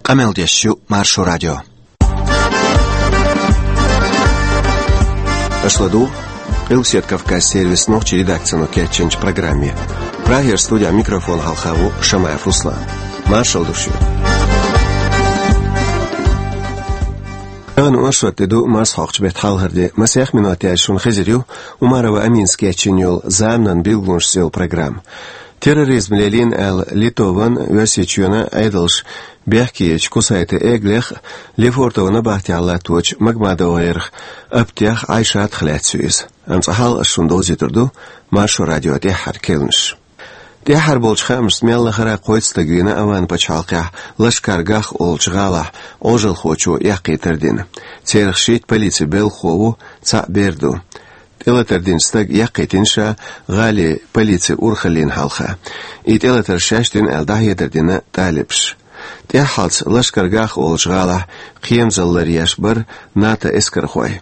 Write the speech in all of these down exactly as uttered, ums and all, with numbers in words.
Къамел деш ю Маршо радио. Аша ладугӀу Къилбаседа Кавказан сервисан нохчийн редакцино кечйинчу программе. Прагера студехь микрофон хьалха ву Шамаев Руслан. Маршалла ду шуьга. Тахана оршот де ду, марсхьокху беттан хьалхара де. Масех минот яьлча шуна хезар ю Умарова Аминас кечйина йолу «Заманан билгалонаш» цӀе йолу программа. Терроризм лелийна аьлла, Литван, Оьрсийчоьнан Ӏедалша бехке ечу Кусайте Эглех а, Лефортово набахтехь латточу МагмадовгӀерах Аптех а, Ӏайшатах а лаьцна ю иза. Амма цкъа хьалха аса шуна довзуьйтур ду Маршо радион тӀаьххьара керланаш. ТӀаьххьара болчу хаамашца, мел лахара кхойтта стаг вийна Ӏаман пачхьалкхехь Лашкар-Гах олучу гӀалахь Ӏожалхочо эккхийтар дина. Царах шийтта полицин белхахо ву, цхьаъ бер ду. ТӀелатар динчу стага эккхийтина ша гӀалин полицин урхаллина хьалха. И тӀелатар шаьш дина аьлла, дӀахьедар дина талибаша. ТӀаьххьалц Лашкар-Гах олучу гӀалахь кхерамзалла ларъеш бара НАТО эскархой.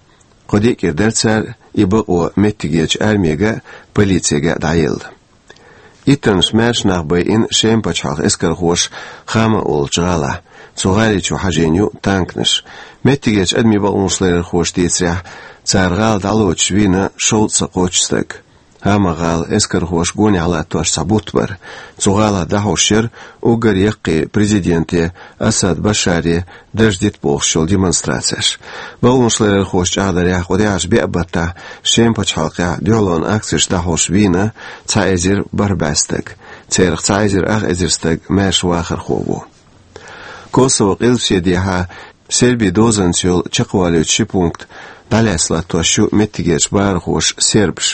Кху диъ кӀира дара цара и бакъо меттигерчу армига а, полицига а дӀаелла. Иттаннаш маьрша нах байина Шеман пачхьалкхан эскархоша Хама олучу гӀалахь. Цу гӀали чу хьажийна ю танканаш. Меттигерчу адамийн бакъонаш ларъярхоша дийцарехь, цара гӀала дӀалоцуш вийна шовзткъа кхоччуш стаг. Хама-гӀала эскархоша гонехь латтош цхьа бутт бара. Цу гӀалахь дӀахьош яра уггар яккхий президенте Асад Башаре дарж дита бохуш йолу демонстрацеш. Бакъонаш ларъярхоша чӀагӀдарехь, кху тӀаьхьарчу беа баттахь Шеман пачхьалкхехь дуьхьалонан акцеш дӀахьош вийна цхьа эзар бархӀ бӀе стаг. Царах цхьа эзар ах эзар стаг маьрша вахархо ву. Косово къилбаседехьа Сербин дозанца йолу чекхвалуьйту ши пункт дӀалаьцна латтош ю меттигерчу бахархоша сербаш.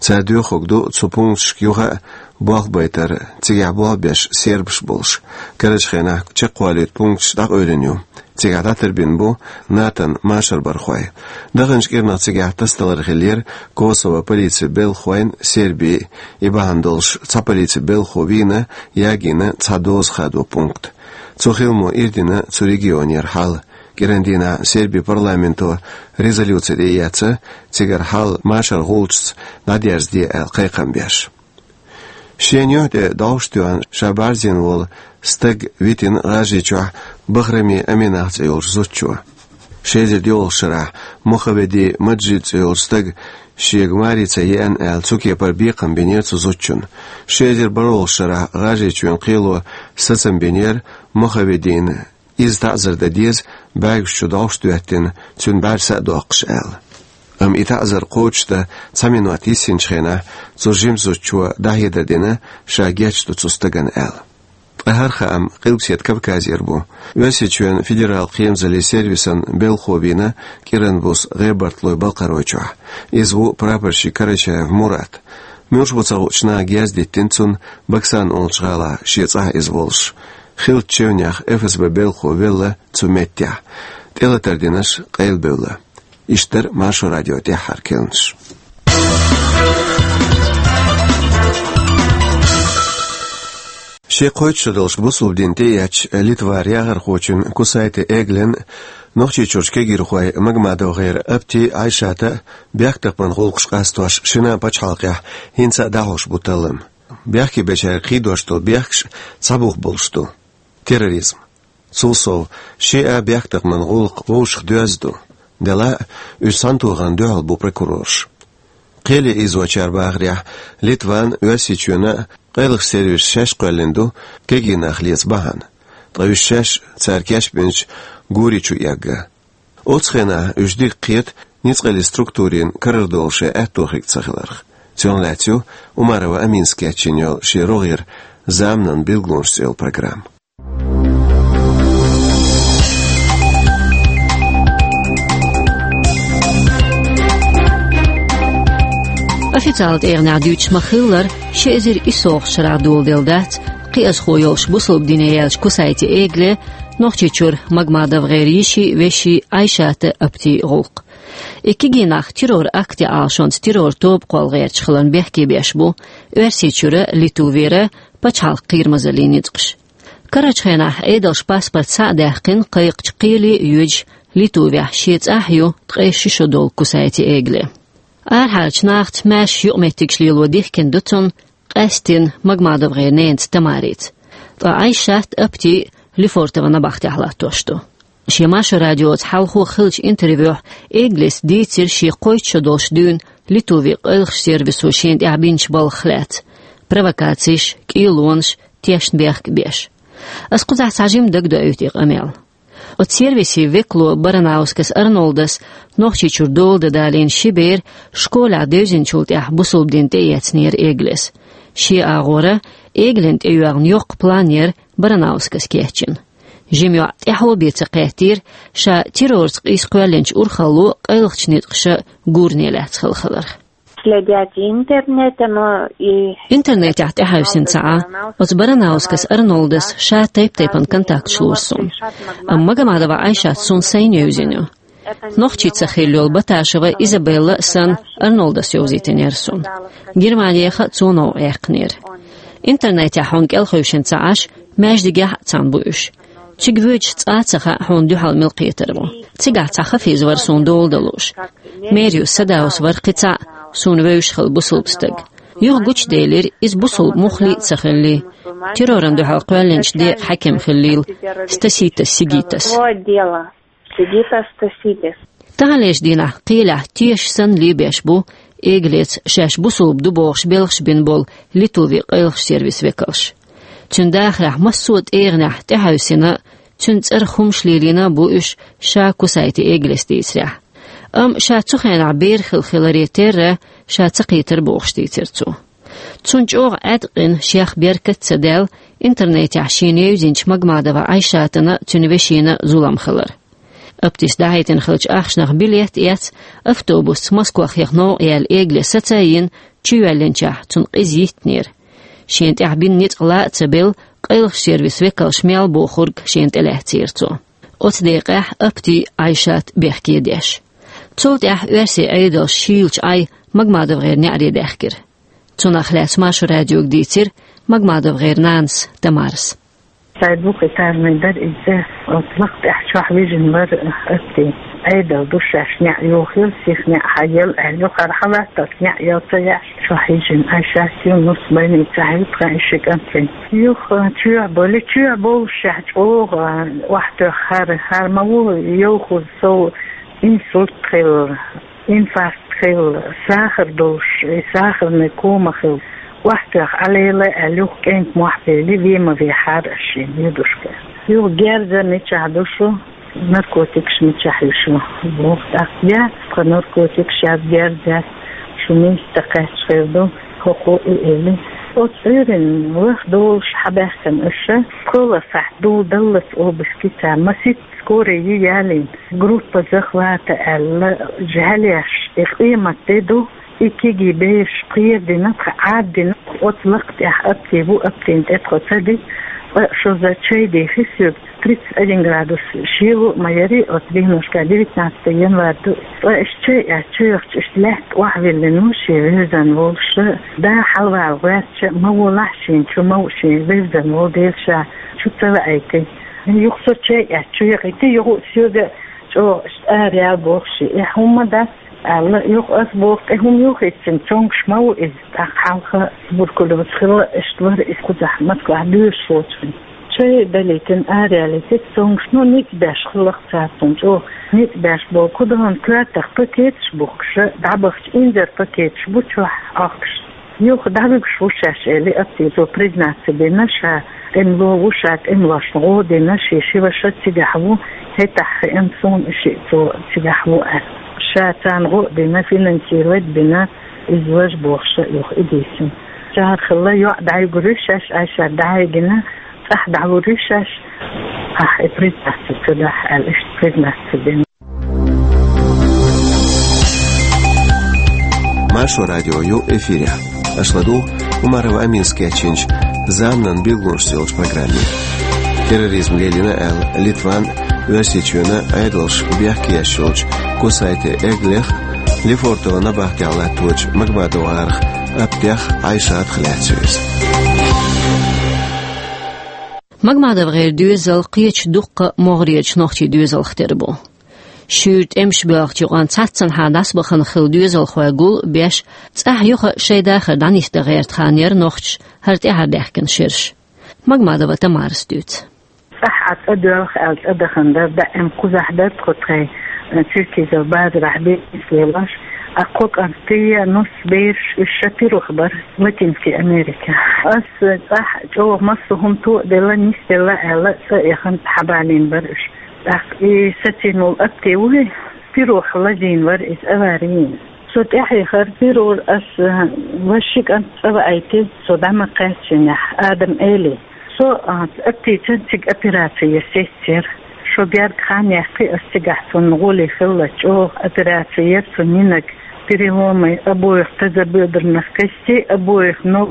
Цара доьхург ду цу пункташка юха а болх байтар, цигахь болх беш сербаш болуш. Карарчу хенахь чекхвалуьйту пункташ дӀакъевлина ю. Цигахь дӀатарбина бу НАТОн машарбархой. Даханчу кӀирнах цигахь тасадалар хиллера Косово полицин белхахойн а, Сербин а. И бахьана долуш цхьа полицин белхахо вийна, ягийна цхьа доза хадо пункт. Цу хиламо ирдина цу регионера хьал. КӀиран дийнахь Сербин парламенто резолюци тӀеэцна, цигара хьал машаран гӀулчашца дӀадерзаде аьлла кхайкхам беш. Шена юьхь тӀе догӀуш тоьхна, ша бӀаьрзийна волу стаг витина ГӀажарийчохь Бахрами Аминах цӀе йолчу зудчо. Ши эзар доьалгӀачу шарахь Мохаведи Маджид цӀе йолчу стага шега маре ца еана аьлла, цу кепара бекхам бинера цу зудчунна. Ши эзар бархӀалгӀачу шарахь ГӀажарийчоьнан кхело сацам бинера Мохаведина, иза таӀзар дан деза, бӀаьргаш чу догӀуш доьттина, цуьнан бӀаьрса а доккхуш аьлла. Амма и таӀзар кхочушдан цхьа минот йиссинчу хенахь, цу жима зудчо дӀахьедар дина, ша гечдо цу стагана аьлла. Ткъа хӀара хаам Къилбаседа Кавказера бу. Оьрсийчоьнан федералан кхерамзаллин сервисан белхахо вийна кӀиран буса ГӀебарталойн Балкхаройчохь. Иза ву прапорщик Карачаев Мурат. Муьлш бу ца хуучу наха герз диттина цунна Баксан олучу гӀалахь, шен цӀахь иза волуш. Хиллачу чевнех ФСБ белхахо велла цу меттехь. ТӀелатар динарш къайлабевлла. Иштта дара Маршо радион тӀаьххьара керланаш. Шен кхойтта шо долуш бусалба дин тӀеэцча, Литвара яхархочун Кусайте Эглен а, Нохчийчуьрчу кегийрхойн МагмадовгӀеран Апти а, Ӏайшата а бехктакхаман гӀуллакхаш къастош шина а пачхьалкхехь хӀинца а дӀахьош бу таллам. Бехке бечаьрга кхийдош долу бехкаш цхьа бух болуш ду: терроризм. Цул сов, шиъ а бехктакхаман гӀуллакх вовшах доьзна ду. Делахь а, уьш цхьаьнатохарна дуьхьал бу прокурорша. Кхеле ийзочара бахарехь, Литван а, Оьрсийчоьнан а къайлахчу сервисаша шаьш кхоьллина ду кегий нах леца бахьана. Ткъа уьш шаьш, цара кечбинчу гури чу эгна. Оцу хенахь уьш дика кхета ницкъаллин структурийн карара долу шайн аьтто хирг ца хиларх. Цунах лаьцна ю Умарова Аминас кечйина йолу шен рогӀера «Заманан билгалонаш» цӀе йолу программа. Официалан тӀегӀанехь дуьйцуш ма-хиллара, ши эзар исс шарахь доладелла дац кхиазхо йолуш бусалба дине яьллачу Кусайте Эгле Нохчийчуьра МагмадовгӀеран йишин а, вешин а Ӏайшата а, Апти а гӀуллакх. И кегий нах террор-акт ян Ӏалашонца террор тоба кхолла гӀерташ хиларна бехке беш бу Оьрсийчуьра, Литвера пачхьалкхан кхерамазаллин ницкъаша. Карарчу хенахь Ӏедалша паспорт схьа а даьккхина кхайкхачу кхеле а йоьдуш, Литвехь шен цӀахь ю ткъе ши шо долу Кусайте Эгле. Арахьарчу нахаца маьрша юкъаметтигаш лело дихкина ду цунна, къаьсттина МагмадовгӀеран ненаца Тамарица. Ткъа Ӏайшат а, Апти а Лефортово набахтехь латтош ду. Шен Маршо радиоца хьалхо хиллачу интервьюхь Эглес дийцира шен кхойтта шо долуш дуьйна Литвин къайлахчу сервисо шена тӀехь бинчу балхах лаьцна: провокацеш, кӀелонаш, тешнабехк беш. Ас кхузахь цхьа жимма дагадоуьйту и къамел. Оцу сервисан векало Баранаускас Арнолдас Нохчийчуьра дола дан далийна ши бер школехь девзинчул тӀаьхьа бусалба дин тӀеэцнера Эглес. Шен агӀора Эглина тӀейоьгӀна йоккха план яра Баранаускас кечйина. Жима йоӀ тӀаьхьо бен ца кхеттера ша террорца къийса кхоьллинчу урхалло къайлахчу ницкъаша гуране лаьцна хилла хиларх. Следят и интернета, но и Интернетехь тӀехьаьвсина ца Ӏа, оцу Баранаускас Арнолдас ша тайп-тайпана контакташ лора суна. Амма Магомадова Айшат суна сайна евзина ю. Нохчий ца хилла йолу Баташева Изабелла а санна Арнолдас йовзийтинера суна. Германехь а цо новкъа яьккхинера. Интернетехь хьуна кӀелхевшина ца Ӏаш, маьждигехь а цхьаьна бу уьш. Цига воьдуш цкъа а ца хаьа хьуна дуьхьал мила кхетар ву. Цигахь цхьа хафиз вара суна дола дан лууш. Мериус Садаус вара кхин цхьаъ суна вевзаш хилла бусалба стаг. Юха гучуделира иза бусалба муххале а ца хиллий, террорна дуьхьал кхоьллинчу декъан хьаькам хиллийла, Стаситас Сигитас. Сигитас Стаситас. Таханлерчу дийнахь кхелехь теша санна лебеш бу Эглеца шаьш бусалба ду бохуш белхаш бина болу Литвин къайлахчу сервисан векалш. Цуьнан дахарехь массо а тӀегӀанехь тӀехьаьвсина, цуьнан цӀарах хӀумаш лелийна а бу уьш, ша Кусайте Эглес дийцарехь. Амма ша цу хенахь бер хилла хиларе терра, ша ца кхийтира бохуш дийцира цо. Цунна чӀогӀа Ӏаьткъина, шех беркат а ца даьлла, интернетехь шена евзинчу Магомадова Айшатана, цуьнан вешина зулам хилар. Аптис дӀахьийтина хиллачу ахчанах билет а эцна, автобусца Москвахь яха новкъа яьлла Эглес саца а йина, чу йоьллинчохь цунна къиза йиттинера. Шена тӀехь бина ницкъ ла а ца белла, къайлахчу сервисан векалша мел бохург шена тӀелаьцнера цо. Оцу декъехь Апти Айшат бехке деш. Цул тӀаьхьа оьрсийн Ӏедалша шийлачу Ӏай МагомадовгӀеран неӀаре даьхкира. Цунах лаьцна Маршо радиога дийцира МагомадовгӀеран нанас Тамарас. Сайн двухэтажный дара иза, оцу лакха тӀехь чохь вижина вара Апти. Ӏедал ду шаьш неӀ йохийла, сиха неӀ хьаелла аьлла, юхара хьалатталц неӀ ял ца яьш, чохь йижина Айшат ю, нус больницехь ю тхан и ши кӀант вина. Юха чоьхьа болу, чоьхьа болушехь чӀогӀа охьатоьхна хӀара, хӀара ма ву йовхаза сов инсульт хилла, инфаркт хилла, сахар долуш, и сахарный кома хилла. Охьатоьхна Ӏалелла аьлла, юха кӀентан мохь бели, вен ма вехьара аш шена, юдушка. Юха герза мичахь ду шу, наркотикаш мичахь ю шу, боху тӀаккха. Я, тхан наркотикаш яц, герза яц, шу миска ца кхаьчча хир ду, хӀокхо и эли. Оцу Ӏуьйранна ваха долуш хьабаьхкина аша, кхоалгӀа сахьт дула даллалц обыски ца масийтта. Скорая ялийна, группа захвата аьлла, жӀаьлеш, и къемат де ду, и кегий бераш кхерадина, тхан Ӏаддина, оцу лакха тӀехь Апти ву, Аптина тӀе тхо ца дитта, ткъа шозза чай дехи соьга, тридцать один градус шело а ма яри, оцу дийнашка девятнадцатое январь ду, ткъа иштта чай эцча чу яхча, иштта лаьтта охьавиллина ву шен вевзан волуш, да хьалавала гӀоьртча, ма волахь шена чу, ма ву шен вевзан волу дела ша чу ца ваийти. Юха со чай эцча чу яхийти, юха а соьга чӀогӀа иштта ара яла боху шен. Эхь, хӀумма дац, аьлла, юха ас боху, тӀе хӀума юхийцина, цомгуш ма ву иза, тӀаккха хьалха туберкулёз хилла, иштта вара иза кхузахь Москвахь доьшуш воцург. Чай далийтина, ара ялийти, цомгуш, ну, ницкъ беш хилла-кх цара цунна чӀогӀа. Ницкъ беш боху, кху догӀна коьртах пакеташ бухкуш, дӀабахча инзар пакеташ бу чохь Ӏохкуш. Юха дӀавуьгуш ву шаьш, эли, Апти, цо признаться бина, ша тӀемало ву, ша тӀемалошна гӀо а дина, шен ши ваша цигахь ву, хӀетахь хиъна суна и шиъ цо цигахь ву аьлла. Ша царна гӀо а дина, финансировать а бина, иза важа бохуш юха и дийцина. Цара хилла йоӀ дӀайгур ю шаьш, Айшат дӀайигина, цӀахь дӀалур ю шаьш, ахь и признаться ца дахь аьлла, иштта признаться бина. Маршо радио ю эфирехь. Аша ладугӀу Умарова Аминас кечйинчу «Заманан билгалонаш» йолчу программе. Терроризм лелийна аьлла, Литван, Оьрсийчоьнан Ӏедалша бехке еш йолчу Кусайте Эглех, Лефортово набахтехь латточу МагомадовгӀарах Аптех Айшатах лаьцна ю иза. МагомадовгӀеран доьзал кхечу дуккха могӀарерчу нохчийн доьзалх тера бу. Шуьйра тӀемаш боьлхучу юкъанна цхьаццанхьа дӀасабахана хилла доьзалхой гул а беш, цӀахь юха шайн дахар дӀанисдан гӀерта хан яра нохчаша хӀара тӀаьхьардаьхкина шераш. Магомадова Тамарас дуьйцу. Ахь Ӏа цӀа доьлху аьлла цӀа дахана дара, даим кхузахь дара тхо тхайн, э, Черкизов базарахь бизнес лелош. А кхо кӀант, я нус бераш, уьш ша пирухь бара Латинский Америка. Ас, э, цӀахь чӀогӀа массо а хӀума тоъаделла, нисделла аьлла, цӀа а яхана, хьабалийна бара уьш. ТӀаккха и сацийна волу Апти вуй, пирухь лазийна вара иза, авари йина. Со тӀаьхьа яхара пирухь, ас, э, вай ши кӀант цӀа ваийтира, со дӀа ма кхаьччинехь, Адам Эли. Со, а, Аптийчан цига операци яр сестера. Шо герга хан яьккхи ас цигахь, цунна гӀоли хилла, чӀогӀа операци яр цунна, йинарг переломы обоих тазобедренных костей, обоих ног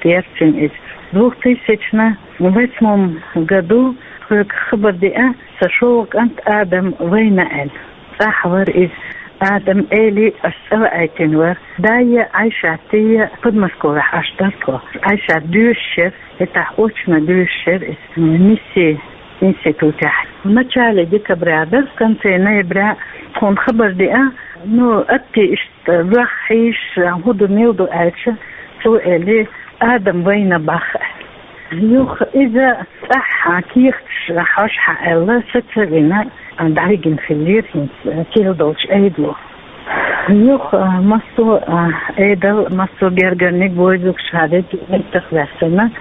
яр цуьнан иза. Двух тысячном восьмом году, хьоьга хабар деа, сан шолгӀа кӀант Адам вайна аьлла. ЦӀахь вара иза, Адам Эли, ас цӀа ваийтина вара. Да я Ӏайшат я, Подмосковьехь Ӏаш дара тхо. Ӏайшат доьшуш яра, хӀетахь очно доьшуш яра иза, миссин институтехь. В начале декабря дара, в конце ноября тхуна хабар деа, ну, Апти иштта ваха хьийзаш, хӀун ду, мила ду аьлча, цо элира, Адам вайна боху. Юха иза цӀахь кехаташ хьожахьа аьлла, са ца вина, дӀавигина хиллера хӀинца, кхел долчу Ӏедало. Юха, а, массо а, а, Ӏедал, массо а гергарниг вовзуш, ша дерг меттах ваьссина,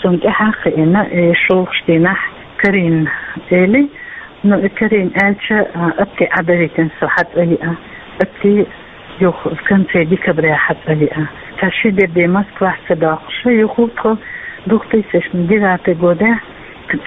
цунна тӀаьхьа а хиина, и шолгӀачу дийнахь Карин эли, ну, и Карин аьлча, а, Апти Ӏадавитина со хьацӀа йиа. Апти юха в конце декабря хьацӀа йиа. Цхьа ши де бен Москвахь ца доккхуш, юха тхо двух тысячном девятый годехь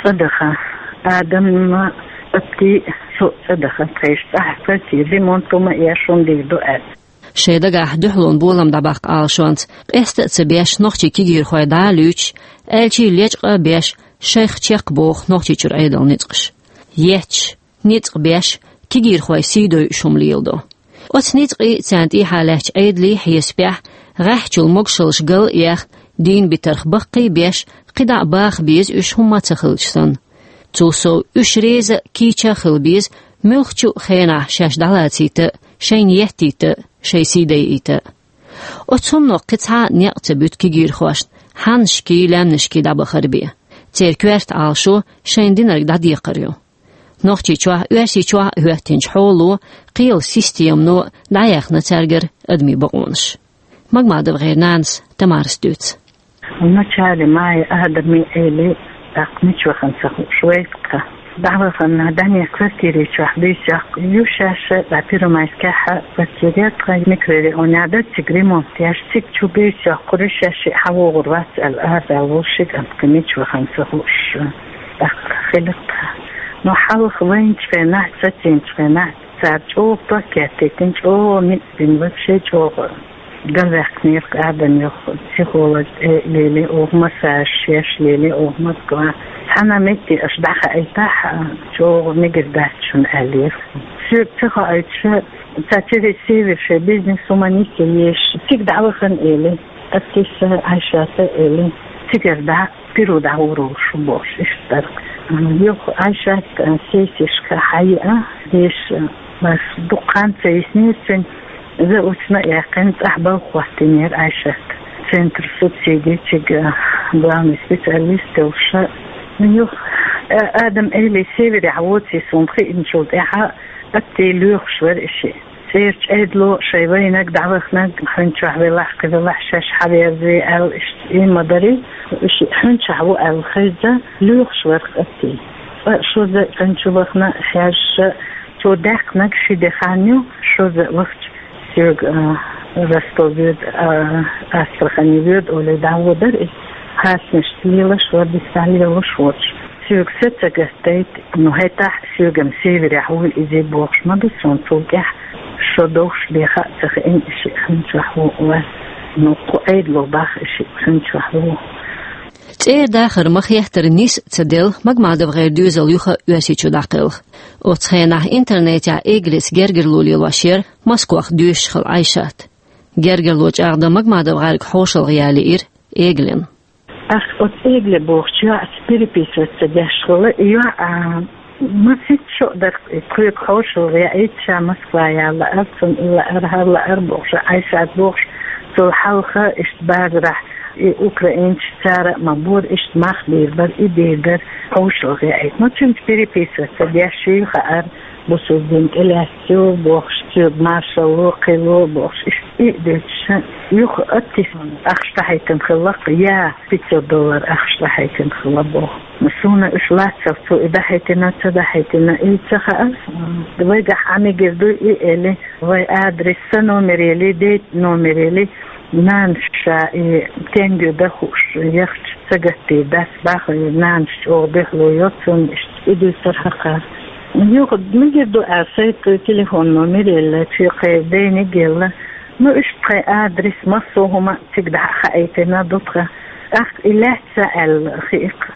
цӀа даха. Адамна, Апти, со цӀа даха. Тхайша цӀахь квартира, ремонт хӀума а еш, хӀума дийр ду аьлла. Шайн дагахь дуьхьалонан болам дӀабаккха Ӏалашонца, къаста а ца беш, нохчийн кегийрхой дӀа а луьйчуш, аьлчий лечкъа а беш, шайх чекхбоху Нохчийчуьра Ӏедалан ницкъаш. Етташ, ницкъ беш, кегийрхой сий дойуш хӀума леладо. Оцу ницкъийн, царна тӀехьа лаьттачу Ӏедалан хьесапехь, гӀеххьачул могушаллаш гал а ехна, дийна битарх баккхий а беш, кхидӀа а баха беза уьш, хӀумма а ца хилча санна. Цул сов уьш реза а, кийча а хила беза, муьлххачу а хенахь шаьш дӀалацийта а, шайна еттийта а, шайн сий дайийта а. Оцу хӀумано кхин цхьа а некъ ца буьту кегийрхошна, хьаннашкий, лаьмнашкий дӀабахар бен. Церан коьрта Ӏалашо шайна динарг дӀадекхар ю. Нохчийчохь а, Оьрсийчохь а хӀоьттинчу хьоло, кхелан системано дӀаяьхна цаьргара адамийн бакъонаш. МагмадовгӀеран нанас Тамарас дуьйцу. В начале мая Адам Эли тӀаккха мича вахана ца хууш вайра тхо. ДӀавахана, Данех квартири чохь буьйса йоккхуш ю шаьш, ткъа Первомайскехь квартира яра тхан, микрорайонехь дара, цига ремонт еш, цига чу буьйса йоккхур ю, шаьш хьавогӀур вац аьлла, араваьлла волу ши кӀант кхин мича вахана ца хууш тӀаккха хилира тхан. Но хьалха вайначу хенахь, сацийначу хенахь, цара чӀогӀа пакет теттина, чӀогӀа ницкъ бина, вообще чӀогӀа галваьккхинера-кх Адам, юха психолог тӀе лелий оха, массаж еш лелий оха Москва. Цхьана метте аша дӀахаийтахь, чӀогӀа мегар дац шуна аьллера. Соьга ца хоуьйтуш, цара через Север шайн бизнес хӀуманаш еш, цига дӀавахана эли, Аптиса, Ӏайшата эли, цигара дӀа Перу дӀагӀур волуш ву бохуш, иштта дара. Юха Ӏайшат, а, сессешка хьайиа, деш, а, баш дукха хан ца йиснера цуьнан, заочно а яьккхина, цӀахь балха хӀоттийнера Ӏайшат. Центр субсидий чуьра, а, главный специалист йолуш. Юха, а, Адам Эли Северехь воций суна хиъначул тӀаьхьа, Апти лоьхуш вара и шиъ. ЦӀерачу Ӏедало шайн вайнарг, дӀаваханарг, хьуьнчохь велахь, кхин велахь, шаьш хьаверзаве аьлла, иштта и ма дарий. И шиъ хьуьнчохь ву аьлла хезна, лоьхуш вара-кх Апти. Ткъа шозза хьуьнчу вахана хьаьжча, цо даьккхинарг ши де хан ю, шозза вахча соьга, а, Ростов воьду, а, Астрахани воьду олий дӀаводара иза. Хьаснашца лелаш вара, дисса лелаш воцуш. Соьга са ца гатдайта, ну, хӀетахь соьгам Северехь вуй иза бохуш ма ду суна, цул тӀаьхьа шо довш бен хаа ца хиъна и шиъ хьуьнчохь ву ван. Ну, кху Ӏедало бах и шиъ хьуьнчохь ву. ЦӀера дахар ма-хеттара нис а ца делла, МагмадовгӀеран доьзал юха Оьрсийчу дӀакхелха. Оцу хенахь интернетехь Эглица гергарло лелош яра, Москвах доьшуш хилла Ӏайшат. Гергарло чӀагӀдан МагмадовгӀаьрга хьошалгӀа ялийра Эглина. Ах, оцу Эгле бохучу йоӀаца переписываться деш хилла, и йоӀ, а, масийтта шо а дара, и тхоьга хьошалгӀа яийта, ша Москва яла лаьара, цунна и лаьара, хӀара лаьара бохуш, Ӏайшат бохуш, цул хьалха иштта базарахь И украинцаш цара а ма бора, иштта мах бийр бар, и бийр дар хьошалгӀа яйта. Ну, цуьнца переписываться деш ший хаьара, бусург дин тӀе лаьцна ю бохуш, цуьнга маршалло, кхилло бохуш, иштта и а дуьйцуш, юха оттис ахча дӀахьийтина хилла, я пятьсот доллар ахча дӀахьийтина хилла боху. Суна уьш лаццалц цо и дӀахьийтина, ца дӀахьийтина, и ца хаьара. Вайгахь Ӏамигар дуй и эли, вай адрес сан номер ели, дейтта номер ели, нанас ша и тенге дан хууш яхча, ца гаттийра дац баха, и нанас чӀогӀа дуьхьало йо цунна, иштта и дуьйцура хьакха. Юха мигар ду аьлла, сайта телефон номер елла, цуьнан кхин дайниг елла. Ну, иштта тхайн адрес, массо а хӀума цига дӀа а хаийтина ду тхан. ТӀаккха и лаьцна аьлла хиъ-кх.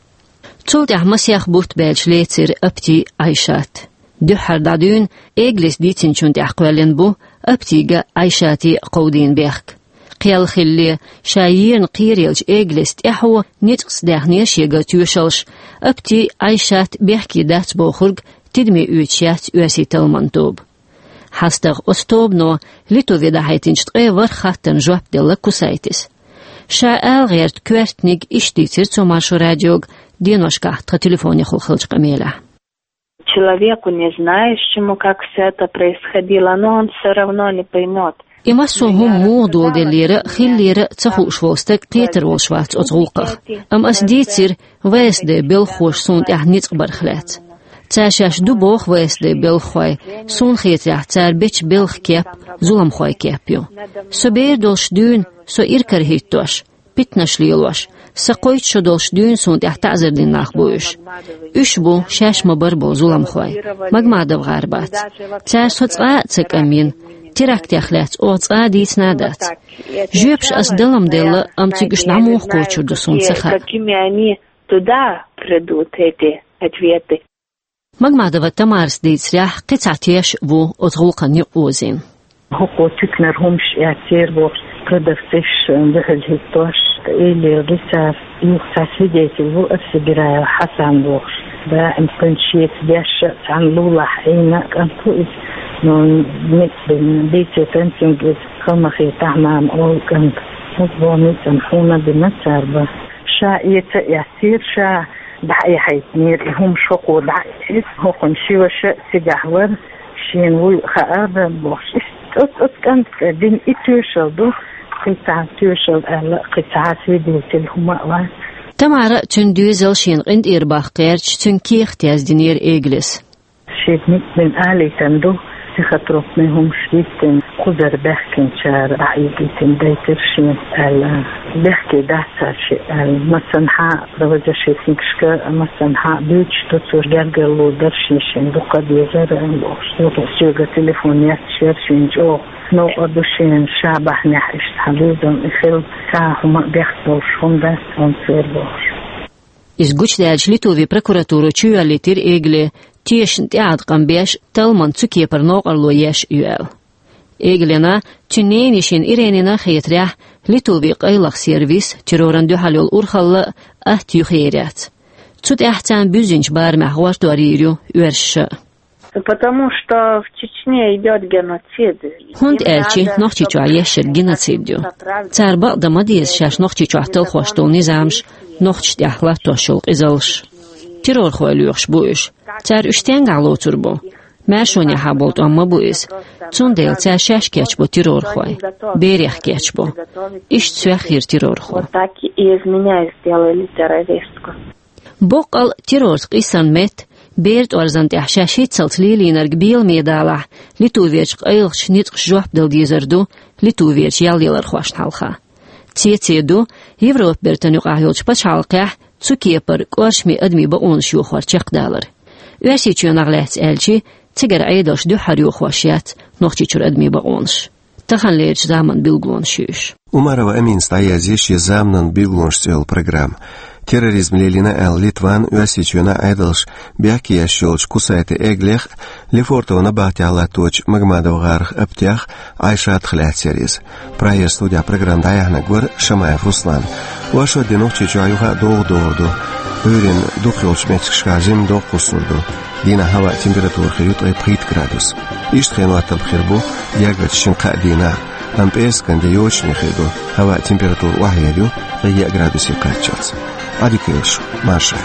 Цул тӀаьхьа масех бутт баьлча лецира Апти Ӏайшат. Дуьххьара дӀадуьйна, Эглис дийцинчунна тӀехь кхоьллина бу Аптига Ӏайшате кховдийна бехк. Кхел хилале, ша ерна кхераелча Эглис тӀаьхьо ницкъаца даьхнера шегара тоьшаллаш, Апти Ӏайшат бехке дац бохург тидаме оьцуш яц оьрсийн талламан тоба. ХьастагӀа оцу тобано Литве дӀахьийтинчу ткъе ворхӀ хаттарна жоп делла Кусайтис. Ша ала гӀерта коьртаниг иштта дийцира цо Маршо радиога деношкахь тхан телефонехула хиллачу къамелехь. Человеку, не знающему, как всё это происходило, но он всё равно не поймёт. И массо а хӀума муха доладеллера, хиллера ца хууш волу стаг кхетар волуш вац оцу гӀуллакхах. Амма ас дийцира ВСД белхахоша суна тӀехь ницкъ барх лаьцна. Цара шаьш ду боху ВСД белхахой, суна хетарехь, цара бечу белхан кеп зуламхойн кеп ю. Со бер долуш дуьйна, со иракарахӀиттош, питанаш лелош, сан кхойтта шо долуш дуьйна суна тӀехь таӀзар дина нах бу уьш. Уьш бу шаьш ма-барра болу зуламхой. Магмадов-гӀар бац. Цара со цкъа а ца кӀамйина, терактех лаьцна оха цкъа а дийцина а дац. Жоьпаш ас далам делла, амма цига уьш дӀа муха кхочур ду суна ца хаьа. Какими они туда придут, эти ответы? Магмадова Тамарас дийцарехь, кхин цхьа теш а ву оцу гӀуллакхана юкъаозийна. ХӀокхо туьканара хӀумаш эцнера бохуш, продавцеш дуьхьал хӀиттош, элира цара, юха цхьа свидетель ву Арсигираев Хьасан бохуш. Даим кхуьнца шеца деш а, цхьана лулахь Ӏийна а кӀант ву иза. Ну, ницкъ бина, бийцира цуьнга иза, Калмахи Тахьмам олу кӀант. ХӀокхо ницкъ хьуна бина цара бан. Ша эца а эцнера, ша дӀа а яхьийтинера, и хӀума шокхо дӀа а эцира, хӀокхуьнан ши ваша а цигахь вара, шена вуй а хаьара бохуш. Иштта оцу, оцу кӀанта дина и тоьшалла ду, кхин цхьа тоьшалла аьлла, кхин цхьа свидетель хӀума а вац. Тамара а, цуьнан доьзал а шена къинтӀера баккха гӀерташ, цуьнга кехат яздинера Эглис. Шега ницкъ бина алийтина ду, психотропный хӀумаш диттина, кхузара баьхкинчара дӀа а йигийтина дайтира шена аьлла. Бехке дац цара шиъ аьлла. Массанхьа правозащитникашка, массанхьа буьйцуш ду цо, гергарло дара шен-шен дукха дезара бохуш. Юха соьга телефон етташ яра шена чӀогӀа. Новкъа ду шена, ша бахьанехь иштта хьан безам и хилла, цхьа хӀума а бехк болуш хӀума дац хьуна церан бохуш. Иза гучудаьлча, Литвин прокуратуро чуйоьллийтира Эгле, тешашна тӀеӀаткъам беш, талламан цу кепара новкъарло еш а ю аьлла. Эглена, цуьнан ненайишина Иренина хетарехь, Литвин къайлаха сервис, террорна дуьхьал йолу урхалла а атта юхаер яц. Цу тӀехь царна буьззинчу барамехь гӀортор йийр ю оьрсаша а. Потому что в Чечне идёт геноцид. ХӀунда аьлча Нохчийчохь еш ерг геноцид ю. Цара бакъдан ма деза шаьш Нохчийчохь талхош долу низамаш, нохчашна тӀехь латтош йолу къизаллаш. Террорхой лоьхуш бу уьш. Цара уьш стенгахь лоцур бу? Маьршонехьа болу тӀом ма бу иза. Цундела цара шаьш кечбо террорхой. Берех кечбо. Иштта сох йира террорхо. Вот так и из меня сделали террористку. Боккъал террорца къийсарна метта, бер тӀорзан тӀехь шаьш хӀинццалц лелийнарг беламе далахь, Литверчу къайлахчу ницкъаша жоп дала дезар ду Литверчу ял ялархошна хьалха. Цеций ду Европа бертан юкъахь йолчу пачхьалкхехь цу кепара кӀоршаме адамийн бакъонаш йохор чекхдалар. Оьрсийчоьнах лаьцна аьлча, цигара Ӏедалша дуьххьара йохош яц Нохчийчуьра адамийн бакъонаш. Таханлерчу заманан билгалонаш ю уьш. Умарова Аминас дӀаязйи шен «Заманан билгалонаш» цӀе йолу программа. Терроризм лелийна аьлла, Литван, Оьрсийчоьнан Ӏедалша бехке еш йолчу Кусайте Эглех, Лефортово набахтехь латточу Магомадов-гӀарах Аптех Ӏайшатах лаьцна яра иза. Прагера студехь программа дӀаяьхьнарг вара Шамаев Руслан. Оршот де Нохчийчохь юха а догӀа догӀур ду. Ӏуьйранна дукхахйолчу меттигашкахь жимма догӀа кхуссур ду. Дийнахь хӀаваан температура хир ю ткъе пхийтта градус. Иштта хенан хӀоттам хир бу гергарчу шина-кхаа дийнахь. Амма пӀераскан де йочане хир ду, хӀаваъ температура охьаяр ю ткъе яа градусе кхаччалца. Ӏадика йойла шун, марша.